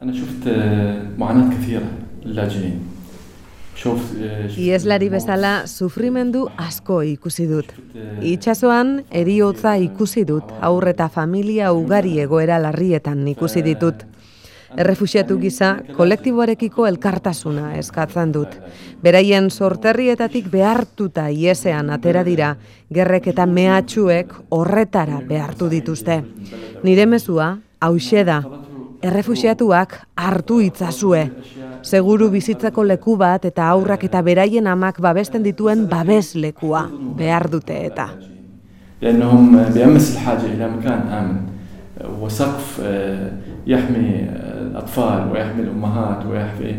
أنا شفت معاناة كثيرة للاجئين. Ieslari bezala sufrimendu asko ikusi dut. Itsasoan heriotza ikusi dut, haur eta familia ugari egoera larrietan ikusi ditut. Errefuxiatu gisa, kolektiboarekiko elkartasuna eskatzen dut. Beraien sorterrietatik behartuta iesean atera dira, gerrek eta mehatxuek horretara behartu dituzte. Nire mezua, hauxe da, errefuxiatuak hartu itzazue. Seguru bizitzeko leku bat eta aurrak eta beraien amak babesten dituen babeslekua behar dute eta. لأنهم بأمس الحاجة إلى مكان آمن وسقف يحمي الأطفال ويحمي الأمهات ويحمي